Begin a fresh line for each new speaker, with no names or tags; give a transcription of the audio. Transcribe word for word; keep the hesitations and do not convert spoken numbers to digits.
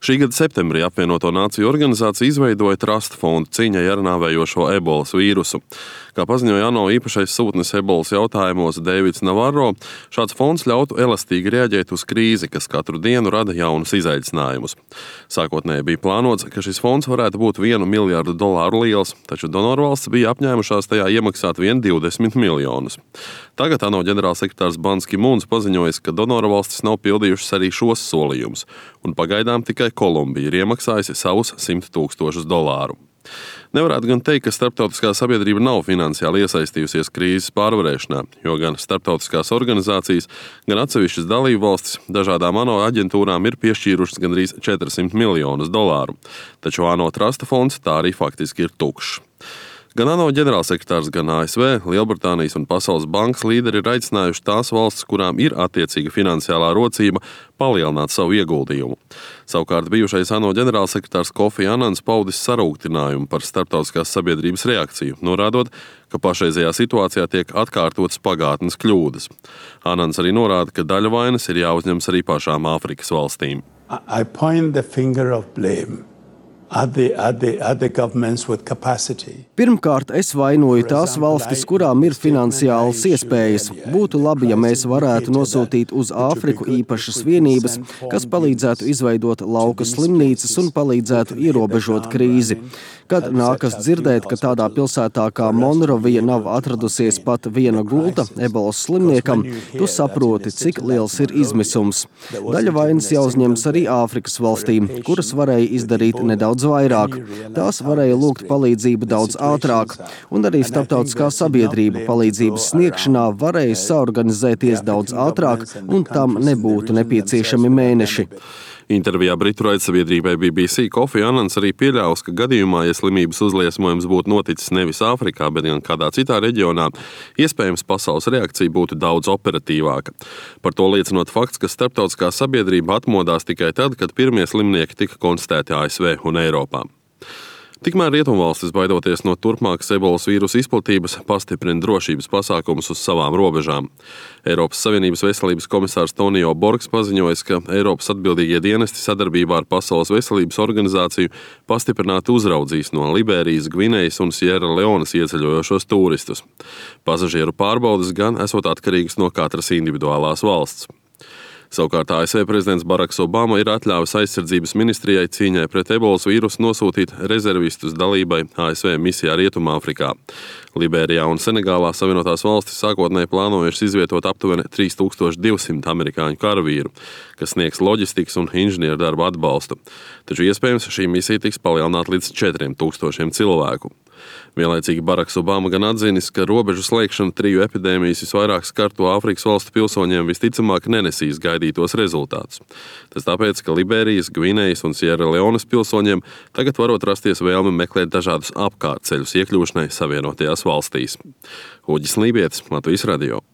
Šī gada septembrī apvienoto nāciju organizācija izveidoja Trust fondu cīņai ar nāvējošo ebolas vīrusu. Kā paziņoja ANO īpašais sūtnis ebolas jautājumos Deivids Navarro, šāds fonds ļautu elastīgi reaģēt uz krīzi, kas katru dienu rada jaunus izaicinājumus. Sākotnēji bija plānots, ka šis fonds varētu būt vienu miljardu dolāru liels, taču donorvalsts bija apņēmušās tajā iemaksāt vien divdesmit miljonus. Tagad ANO ģenerālsekretārs Ban Ki Mūns paziņojis, ka donorvalstis nav pildījušas arī šos solījumus, un pagaidām tikai Kolumbija ir iemaksājusi savus simt tūkstošus dolāru. Nevarētu gan teikt, ka starptautiskā sabiedrība nav finansiāli iesaistījusies krīzes pārvarēšanā, jo gan starptautiskās organizācijas, gan atsevišķas dalību valstis dažādām ANO aģentūrām ir piešķīrušas gandrīz četrsimt miljonus dolāru, taču ANO Trusta fonds tā arī faktiski ir tukšs. Gan ANO ģenerālsekretārs, gan A S V, Lielbritānijas un Pasaules bankas līderi ir aicinājuši tās valstis, kurām ir attiecīga finansiālā rocība, palielināt savu ieguldījumu. Savukārt bijušais ANO ģenerālsekretārs Kofi Anans paudis sarūktinājumu par starptautiskās sabiedrības reakciju, norādot, ka pašreizējā situācijā tiek atkārtotas pagātnes kļūdas. Anans arī norāda, ka daļa vainas ir jāuzņems arī pašām Āfrikas valstīm.
I point the finger of blame. At the, at the, at the governments with capacity.
Pirmkārt, es vainoju tās valstis, kurām ir finansiālas iespējas. Būtu labi, ja mēs varētu nosūtīt uz Āfriku īpašas vienības, kas palīdzētu izveidot lauka slimnīcas un palīdzētu ierobežot krīzi. Kad nākas dzirdēt, ka tādā pilsētā kā Monrovija nav atradusies pat viena gulta ebolas slimniekam, tu saproti, cik liels ir izmisums. Daļa vainas jāuzņems arī Āfrikas valstīm, kuras varēja izdarīt nedaudz vairāk. Tās varēja lūgt palīdzību daudz ātrāk, un arī starptautiskā sabiedrība palīdzības sniegšanā varēja saorganizēties daudz ātrāk, un tam nebūtu nepieciešami mēneši.
Intervijā Britu raidsabiedrībai B B C Kofi Anans arī pieļāvis, ka gadījumā, ja slimības uzliesmojums būtu noticis nevis Āfrikā, bet gan kādā citā reģionā, iespējams pasaules reakcija būtu daudz operatīvāka. Par to liecinot fakts, ka starptautiskā sabiedrība atmodās tikai tad, kad pirmie slimnieki tika konstatēti A S V un Eiropā. Tikmēr rietumvalstis, baidoties no turpmākas ebolas vīrusa izplatības, pastiprina drošības pasākumus uz savām robežām. Eiropas Savienības veselības komisārs Tonio Borgs paziņojis, ka Eiropas atbildīgie dienesti sadarbībā ar Pasaules veselības organizāciju pastiprināti uzraudzīs no Liberijas, Gvinejas un Sierra Leonas ieceļojošos turistus. Pasažieru pārbaudes gan esot atkarīgas no katras individuālās valsts. Savukārt A S V prezidents Baraks Obama ir atļāvis aizsardzības ministrijai cīņai pret ebolas vīrusu nosūtīt rezervistus dalībai A S V misijā Rietumāfrikā. Liberijā un Senegālā Savienotās valstis sākotnēji plānojušas izvietot aptuveni trīs tūkstoši divsimt amerikāņu karavīru, kas sniegs loģistikas un inženieru darba atbalstu. Taču iespējams šī misija tiks palielināta līdz četriem tūkstošiem cilvēku. Vienlaicīgi Baraks Obama gan atzinis, ka robežu slēgšana triju epidēmijas visvairāk skarto Āfrikas valstu pilsoņiem visticamāk nenesīs gaidītos rezultātus. Tas tāpēc, ka Liberijas, Gvinejas un Sierra Leonas pilsoņiem tagad varot rasties vēlme meklēt dažādus apkārtceļus iekļūšanai Savienotajās valstīs. Uģis Lībietis, Latvijas radio.